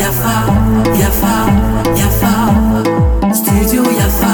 Yafa, Yafa, Yafa, Studio Yafa.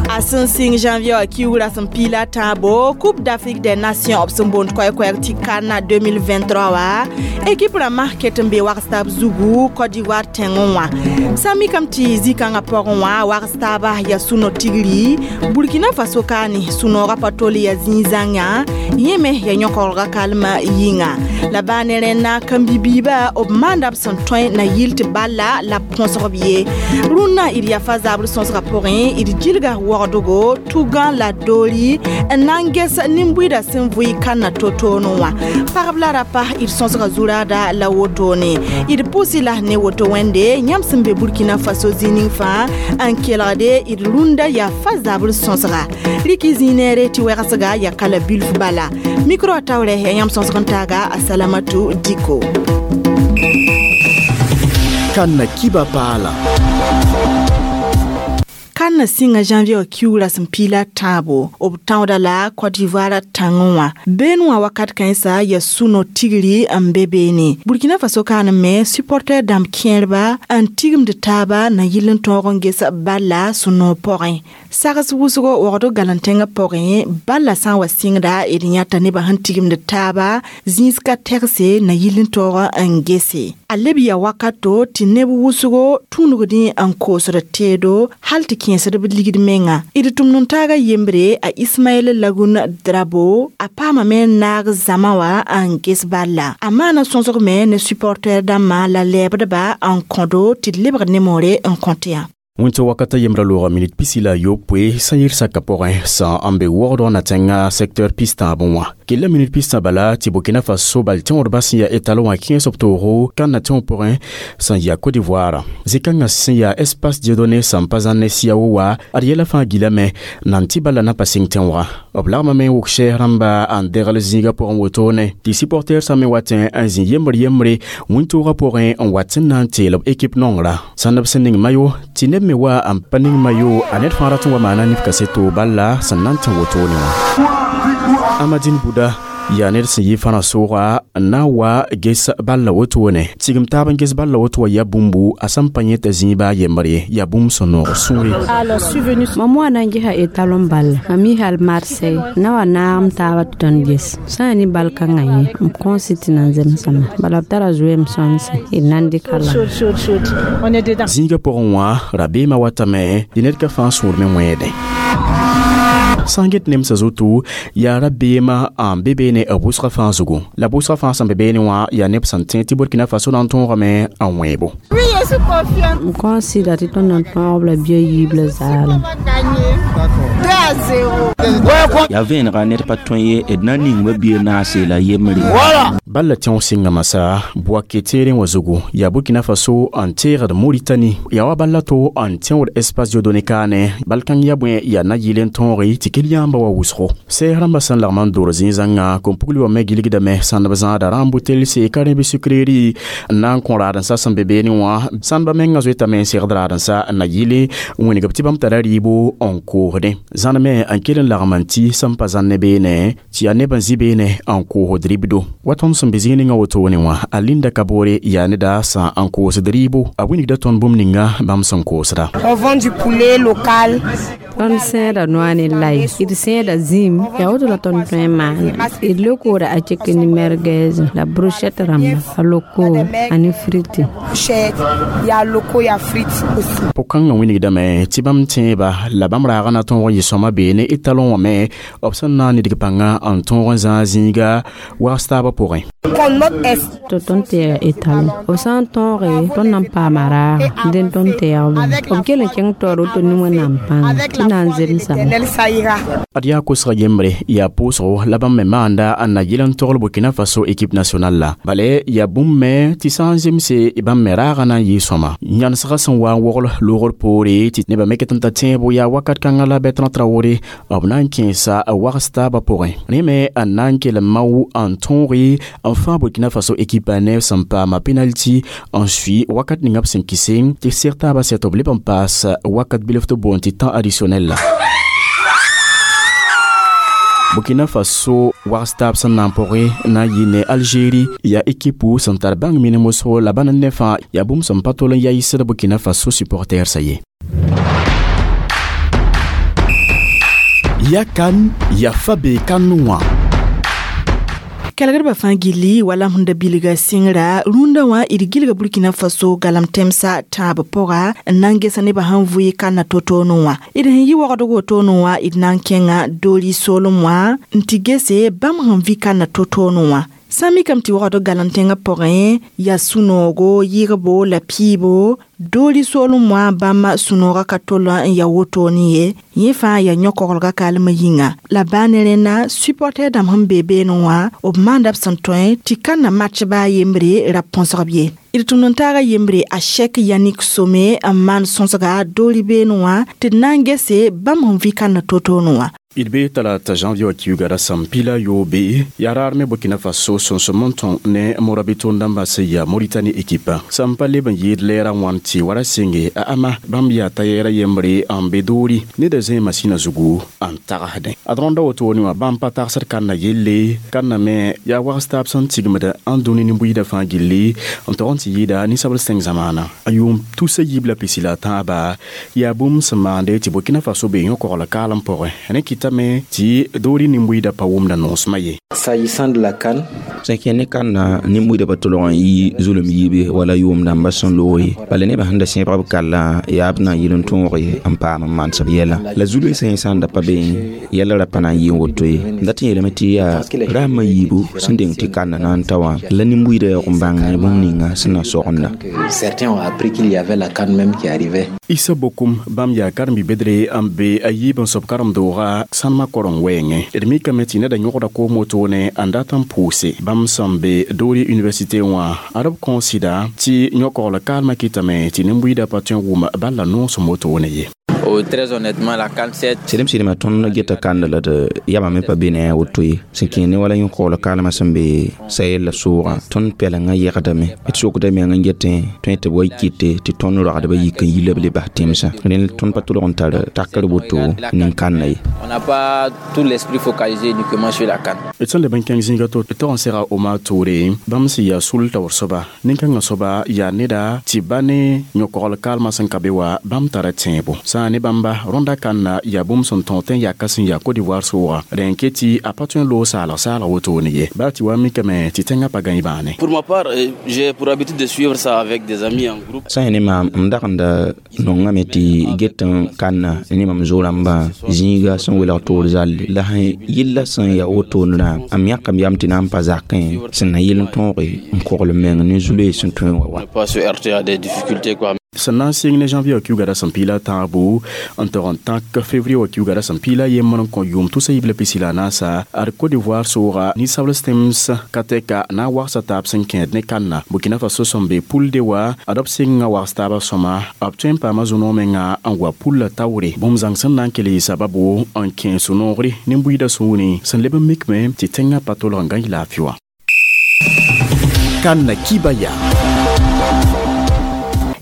A sẽn sɩng janvier wã kiugrã sẽn piila tãabo Coupe d'Afrique des Nations b sẽn boond koɛɛ-koɛɛg tɩ CAN 2023 wã équipe rãmbã ket n be wags taab zugu Côte d'Ivoire tẽngẽ wã sã n mikame tɩ zĩ-kãngã pʋgẽ wã wags taaba yaa sũ-no tigri Burkina Faso kaane sũ-noogã pa tol yaa zĩig zãngã yẽ me yaa yõkorga kalmã yĩnga la baa ne rẽnna kãmbi-biibã b maanda b sẽn tõe na yɩl tɩ balla la b põsg b ye rũnnã d yafa zabr sõsgã pʋgẽ d gilga wagdgo tugã la doori n na n ges nin-buiidã sẽn vʋɩ kãnna to-toone wã pagb la rapa d sõsga zuraada la wotone d pʋʋsɩ la ne woto wẽnde yãmb sẽn be Burkina Faso zĩ ning fãa n kelgde d rũndã yafa zabr sõsga rɩk y zĩig neere tɩ wɛgsga yaa kala bilf bala micro taoorɛ yaa yãmb sõsg n taaga a Salamatu Diko. Kanna kiba paala. Kãn sɩnga janvier wã kiugrã sẽn piila tãabo b tãooda la Côte d'Ivoire tãngẽ wã been wã wakat kãensa yaa sũ-no tigri n be beene Burkina Faso kaan me supporter dãmb kẽerba n tigimd taaba na yɩl n tõog n ges balla sũ-noog pʋgẽ sags wʋsgo wagd galentẽngã pʋgẽ balla sã n wa sɩngda d yãta nebã sẽn tigimd taaba zĩis ka tɛgse na yɩl n tõog n gese a leb yaa wakato tɩ neb wʋsgo tũnugdẽ n koosd teedo hal tɩ kẽesd b ligd menga d tʋmd n taaga yembre a Ismaɛl Lagun Drabo a paamame n naag zãma wã n ges balla a maana sõsg me ne supporter dãmbã la lɛɛbdba n kõdo tɩ d lebg nemore n kõt yã. Wẽnta wakata yembra loogã minit 69 sã yɩr saka pʋgẽ sã n be wogdg na tẽngã secteur pistãabẽ wã kella minit pistã bala tɩ Burkina Faso bal tẽodbã sẽn yaa étalon wã kẽes b toogo kãnna tẽo pʋgẽ sẽn yaa Côte d'Ivoire zĩ-kãngã sẽn yaa Espace Dieudonné sẽn pa zãnne siao wa ad yɛla fãa gilame nan tɩ bala na pa sɩng tẽoogã b lagmame n wʋk sɛɛs rãmba n degl zĩigã pʋgẽ wotone tɩ supporter sã me watẽ n zĩ yembr yembre wĩntoogã pʋgẽ n wat n na n teel b équipe nongrã sãnd b sẽn ning mayo tɩ neb me wa n pa ning mayo a ned fãa rat n wa maana nif kaseto balla sẽn na n tẽ wotone wã Amadine Bouda yaa ned sẽn yɩ fãna sʋʋga n na n wa ges balla wotone tigim taab n ges balla woto wã yaa bũmbu a sẽn pa yẽta zĩiba a yembre ye yaa bũmb sẽn noog sũure. Mam wa na n gesa étalon balla mam yi hal Marseille na wa naag m taaba tɩ tõnd ges sã yaa ne bal kãngã yẽ m kõos tɩ nan zemsame bala b tara zoeem sõnse d na n dɩka la. Zĩigã pʋgẽ wã rabeemã watame tɩ ned ka fãa sũur me wẽedẽ sã n get nemsã zutu yaa rabeemã n be beene b wʋsgã fãa zugu la wʋsgã fãa sẽn be beene wã yaa neb sẽn tẽ tɩ Burkina Faso na n tõogame n wẽebo. M kõos sɩda tɩ tõnd na n tõog b la bia yiib la zaalem. Yaa vẽenega ned pa tõe ye d na n ning ba-biig naase la yembre. Balla tẽog sɩnga masã Bouaké teerẽ wã zugu yaa Burkina Faso n teegd Moritani yaa wa balla to n tẽod Espace Dieudonné kaane bal kãng yaa bõe yaa na yɩl n tõoge tɩ kell yãamba wa wʋsgo sɛɛs rãmbã sẽn lagm n dor zĩig-zãngã kom-pugli wã me gilgdame sãnd b zãada rãmb telse ka rẽ bɩ sucrerie n na n kõ raadensã sẽn be beene wã sãndbã mengã zoetame n segd raadensã n na yɩle n wĩneg b tɩ bãmb tara rɩɩbo n koosdẽ zãn me n kell n lagm n tɩ sẽn pa zãnne beene tɩ yaa neb n zĩ beene n koosd ribdo wa tõnd sẽn be zĩig ninga wotone wã a Linda Kabore yaa neda sã n koosd rɩɩbo a wĩnigda tõnd bũmb ninga bãmb sẽn koosda. On vend du poulet local. Tõnd sẽeda noa ne lai d sẽeda zĩim yaa woto la tõnd tõe n maana d leokooda a cheke ne merguez la brochette rãmba a loko ane frite. Brochette, il y a loco, il y a frites aussi. Pʋg-kãngã wĩnigdame tɩ bãmb tẽeba la bãmb raagã na tõog n yɩ sõma beene étalon wã me b sẽn na n nidg pãnga n tõog n zãag zĩiga wags taabã pʋgẽ. Contre notre est. Tɩ tõnd tɛɛga étalon b sã n tõoge tõnd na n paama raaga dẽn tõnd tɛɛg b kell n kẽng taoor woto ne Wẽnnaam pãnga tɩ na n zemsame. L'éternel, ça ira. Ad yaa kosga yembre yaa pʋʋsgo la bãmb me maanda n na yɩl n togl Burkina Faso équipe nationale la bale yaa bũmb me tɩ sã n zemse bãmb me raagã na n yɩ sõma yãnesgã sẽn wa n wogl loogr poore tɩ nebã me ket n ta tẽebo yaa wakat kãngã la Bertrand Traoré b na n kẽesa wags taabã pʋgẽ rẽ me n na n kell n mao n tõoge n fãa Burkina Faso équipe neb sẽn paama penalty n sui wakat ninga b sẽn kɩse tɩ seg taabã sɛ tɩ b leb n paas wakat bilf tɩ boond tɩ temps additionnel la. Burkina Faso wags taab sẽn na n pʋgẽ na n yɩ ne Algérie yaa ekipu sẽn tar bãng minim wʋsgo la bãnd ne fãa yaa bũmb sẽn pa tol n yaɩsd Burkina Faso supportɛɛrsã ye. Ya kan ya fa be kan wã. Kɛlgdbã fãa gilli wala sẽn da bilga sɩngra rũndã wã d gilga Burkina Faso galam tẽmsã tãab pʋga n na n gesa nebã sẽn vʋɩ kanna to-toonẽ wã. D sẽn yɩ wagdg wotone wã d na n kẽnga doori soolem wã n tɩ gese bãmb sẽn vɩ kanna to-toonẽ wã. Sã n mikame tɩ wagd galam tẽngã pʋgẽ yaa sũ-noogo yɩgbo la piibo doori soolem wã bãmb sũ-noogã ka tol n ya wotone ye, yẽ fãa yaa yõ-koglgã kaalmã yĩnga. La baa ne rẽnda supporter dãmb sẽn be beene wã b maanda b sẽn tõe tɩ kãnna match baa yembre ra põsg b ye. D tʋmd n taaga yembre a Cheikh Yannick Somé n maan sõsga doori beene wã tɩ d na n gese bãmb sẽn vɩ kãnna to-toone wã. D be talata janvier wa kiuga rasam pila yobe ya rar me Burkina Faso sõsem n tõng ne Morabito dãmbã sẽn yaa Mauritanie ekipa sẽn pa leb n yɩɩd lɛɛrã wãn tɩ wara sɩnge a ama bãmb yaa t'a yɛɛra yembre n be doori neda zẽe masĩnã zugu n tagsdẽ ad rõnda wotone wã bãmb pa tagsd kãnna yelle kãnna me yaa wags taab sẽn tigmd n dũni nin-buiidã fãa gilli n tog n tɩ yɩɩda ninsabl sẽng zamaana a yʋʋm tusa yiib la pisi la tãaba yaa bũmb sẽn maande tɩ Burkina Faso be yõ-kogl kaalem pʋgẽ rẽ kɩtame tɩ doori nin-buiidã pa wʋmda noosmã ye. S'agissant de la CAN, sẽn kẽ ne kãnna nin-buiidã pa tolg n yɩ zulem yiibe wala yʋʋm dãmbã sẽn loog ye bala nebã sẽn da sẽbg b kallã yaa b na n yɩl n tõog n paam n manesb yɛla la zu-loeesã yẽ sã n da pa be yɛla ra pa na n yɩ n woto ye n dat n yeelame tɩ yaa rasmã yiibu sẽn deng tɩ kãnna na n ta wã la nin-buiidã yaoog n bãng bũmb ninga sẽn na sogenda. Certains ont appris qu'il y avait la CAN même qui arrivait. Issa Bokum bãmb yaa karen-bi-bedre n be a yiib n sob karen-doogã sãnema koreng wɛɛngẽ d mikame tɩ neda yõgda koom wotone n dat n pʋʋse bãmb sẽn be doori université wã ad b kõo sɩda tɩ yõ-kogl kaalmã kɩtame tɩ nin-buiidã pa tõe n wʋm bal la noosem wotone ye. Oh, très honnêtement, la CAN 7. Sɩdem sɩdma tõnd geta kanda la d yabã me pa be ne a woto ye sẽn kẽ ne wala yõ-kogl kaalmã sẽn be Sahel la soogã tõnd pɛlengã yɛgdame d sokda meng n getẽ tõe tɩ b wa kɩte tɩ tõnd ragdbã yik n yi la b le bas tẽmsã rẽnd tõnd pa tolg n tar takr woto nin-kãnna ye. On n'a pas tout l'esprit focalisé uniquement sur la CAN. D sẽn leb n kẽng zĩiga to tog n sega Omar Toure bãmb sẽn yaa sul taoor soaba nin-kãngã soaba yaa neda tɩ ba ne yõ-kogl kaalmã sẽn ka be wa bãmb tara tẽebo sã n ne bãmba rõnda kãnna yaa bũmb sẽn tõog tẽ yaka sẽn yaa Côte d'Ivoire sʋʋga rẽ n ket tɩ a pa tõe n loog saalg saalg wotone ye baa tɩ wa mikame tɩ tẽngã pa gãe bãane. Pour ma part, j'ai pour habitude de suivre ça avec des amis en groupe. Sã n ne maam m dag n da nongame tɩ get n kãnna ne mam zo-rãmbã zĩiga sẽn welg toor zalle la sẽn yella sẽn yaa wotone rã m yãkame yam tɩ na n pa zakẽ sẽn na yɩl n tõoge n kogl meng ne zu-loees sẽn tõe n wa wa. Ne pas se heurter à des difficultés quoi. Sẽn na n sɩng ne janvier wa kiuga rasem piila tãabo n tog n tãk février wa kiuga rasem piila yembr n kõ yʋʋm tusa yiib la pisi la naasa ad Côte d'Ivoire sʋʋga ninsabl tẽms ka tɛka na n wagsa taab sẽn kẽed ne kãnna Burkina Faso sẽn be poule D wa ad b sɩnga wags taabã sõma b tõe n paama zũ-noog menga n wa poule la taoore bũmb zãng sẽn na n kell yɩ sababo n kẽ sũ-noogre nin-buiidã sũurẽ sẽn leb n mikme tɩ tẽngã pa tolg n gãe laafɩ wã. Kãnna kibaya.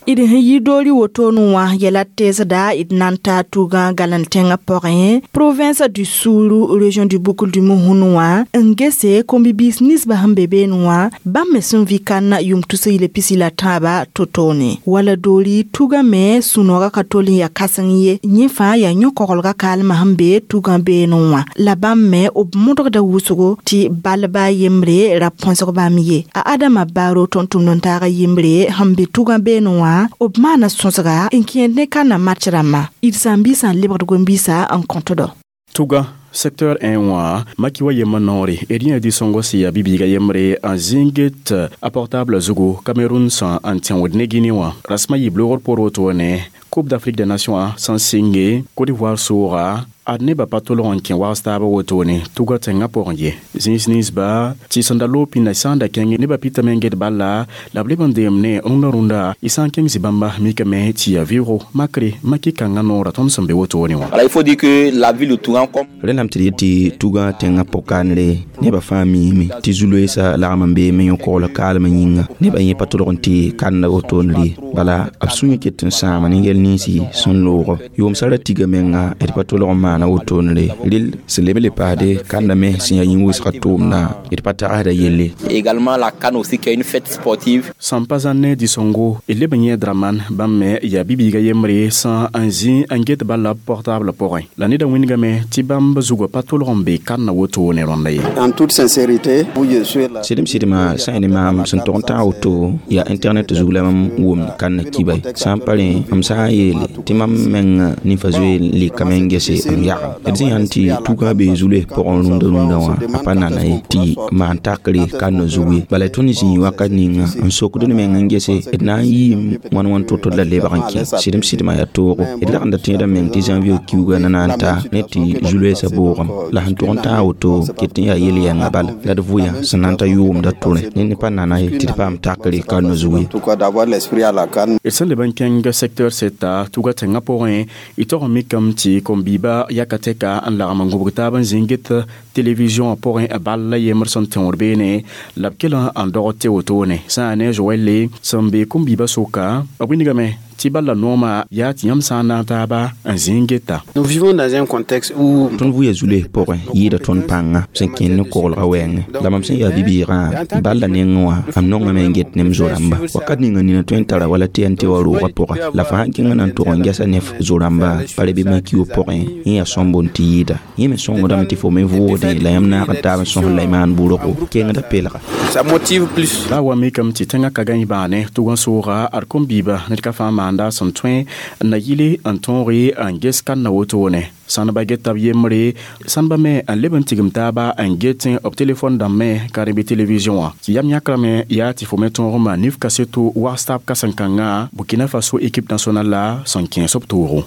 D sẽn yi doori wotone wã yɛla teesda d na n taa tugã galen tẽngã pʋgẽ province du Sourou, région du Boucle du Mouhoun wã n gese kom-bibiis ninsbã sẽn be beene wã bãmb me sẽn vɩ kãnna yʋʋm tusa yɩla pisi la tãabã to-toone wala doori tugã me sũ-noogã ka tol n yaa kãseng ye yẽ fãa yaa yõ-koglgã kaalmã sẽn be tugã beene wã la bãmb me b modgda wʋsgo tɩ balba yembre ra põsg bãmb ye a Adama Baro tõnd tʋmd n taaga yembre sẽn be tugã beene wã b maana sõsga n kẽed ne kãnna match rãmbã d sãn-biisã n lebgd gom-biisã n kõtdo. Tuga secteur 1 wã maki wa yembr noore d yẽ di sõngo sẽn yaa bi-biiga yembre n zĩnget a portable zugu Cameroun sã n tẽod ne Guinée wã rasmã yɩ loogr poor wotone Coupe d'Afrique des Nations sẽn sɩnge Côte d'Ivoire sʋʋga ad nebã pa tolg n kẽ wags taabã wotone tugã tẽngã pʋgẽ ye zĩis ninsba tɩ sẽn da loog pĩnda sã n da kẽnge nebã pɩtame n get bala la b leb n deem ne rũndã rũndã y sã n kẽng zĩ-bãmba mikame tɩ yaa vɩʋgo makre maki kãngã noorã tõnd sẽn be wotone wã. Alors il faut dire que la ville de Tougan comme rẽndame tɩ d yet tɩ tugã tẽngã pʋg-kandre nebã fãa miime tɩ zu-loeesã lagm n beeme yõ-kogl kaalmã yĩnga nebã yẽ pa tolg n tɩ kãnda wotone bala b sũyã ket n sãama ne yɛl ninsi sẽn loogo yʋʋmsã ra tiga menga d pa tolg n maan maana wotone rɩl sẽn leb n le paasde kanda me sẽn yaa yĩn-wʋsgã tʋʋmdã d pa tagsda yelle. Également la CAN aussi qui est une fête sportive. Sẽn pa zãn ne dĩ-sõngo d leb n yẽ Draman bãmb me yaa bi-biiga yembre sã n zĩ n get bala portable pʋgẽ la neda wĩnigame tɩ bãmb zugã pa tʋlg n be kãnna wotone rõnda ye. En toute sincérité, je suis là. Sɩdem sɩdmã sã n ne maam sẽn tog n tãag woto yaa internet zug la mam wʋmd kãnna kiba sã n pa rẽ m sã n yeele tɩ mam meng ninfa zoe n lɩkame n gese n yagem d zĩ sãn tɩ tugã bee zu-loes pʋgẽ rũndã rũndã wã a pa nana ye tɩ maan takre kãnna zug ye bala tõnd zĩig wakat ninga n sokd d meng n gese d na n yɩɩm wãn wãn to-to la lebg n kẽ sɩdem sɩdmã yaa toogo d lagenda tẽedã meng tɩ janvier kiuga na na n ta ne tɩ zu-loeesã boogem la sẽn tʋg n tãag woto ket n yaa yel-yɛngã bala la d vʋyã sẽn na n ta yʋʋmda tʋrẽ ned pa nana ye tɩ d paam takre kãnna zug ye. En tout cas, d'avoir l'esprit à la CAN. D sẽn leb n kẽng secteur seta tugã tẽngã pʋgẽ y tog n mikame tɩ kom-biibã yaka tɛka n lagm n gũbg taab n zĩng get télévision wã pʋgẽ bal la yembr sẽn tẽod beene la b kell n dogd tɩ wotone sã n ne Joɛlle sẽn be kom-biibã soka b wilgame tɩ bal la noomã yaa tɩ yãmb sã n na n taaba n zĩng geta. Nous vivons dans un contexte où Tõnd vʋya zu-loes pʋgẽ yɩɩda tõnd pãnga sẽn kẽnd ne koglgã wɛɛngẽ la mam sẽn yaa bi-bɩɩgã bal la nengẽ wã m nongame n get ne m zo-rãmba wakat ninga nina tõe n tara wala tɩ yaa n tɩ wa roogã pʋga la fo sãn kẽngã na n tʋg n gɛsa ne f zo-rãmba pa re bɩ maki-yo pʋgẽ yẽ yaa sõmbo n tɩ yɩɩda yẽ me sõngdame tɩ fo me vʋʋgdẽ la yãmb naag n taab n sõs la y maan bʋrgo kengda pelga. Ça motive plus. La wa mikame tɩ tẽngã ka gãe bãane tʋg n sooga ad kom-biibã ned ka fãa maanda sẽn tõe n na yɩle n tõoge n ges kãnna wotone sãnba geta b yembre sãnba me n leb n tigim taaba n get b telefon dãmb me ka rẽ bɩ television wã tɩ yam yãkrame yaa tɩ fo me tõog n maan nif kaseto wags taab kãsen-kãngã Burkina Faso équipe nationale la sẽn kẽes b toogo.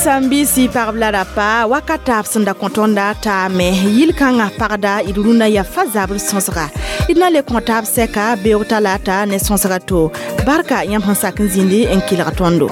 Sãn-biisi pagb la rapa wakata b sẽn da kõ tõnda taame yil-kãngã pagda d rũnã yaa fa zabr sõsga d na le kõ taab sɛka beoog talata ne sõsga to barka yãmb sẽn sak n zĩndi n kelg tõndo.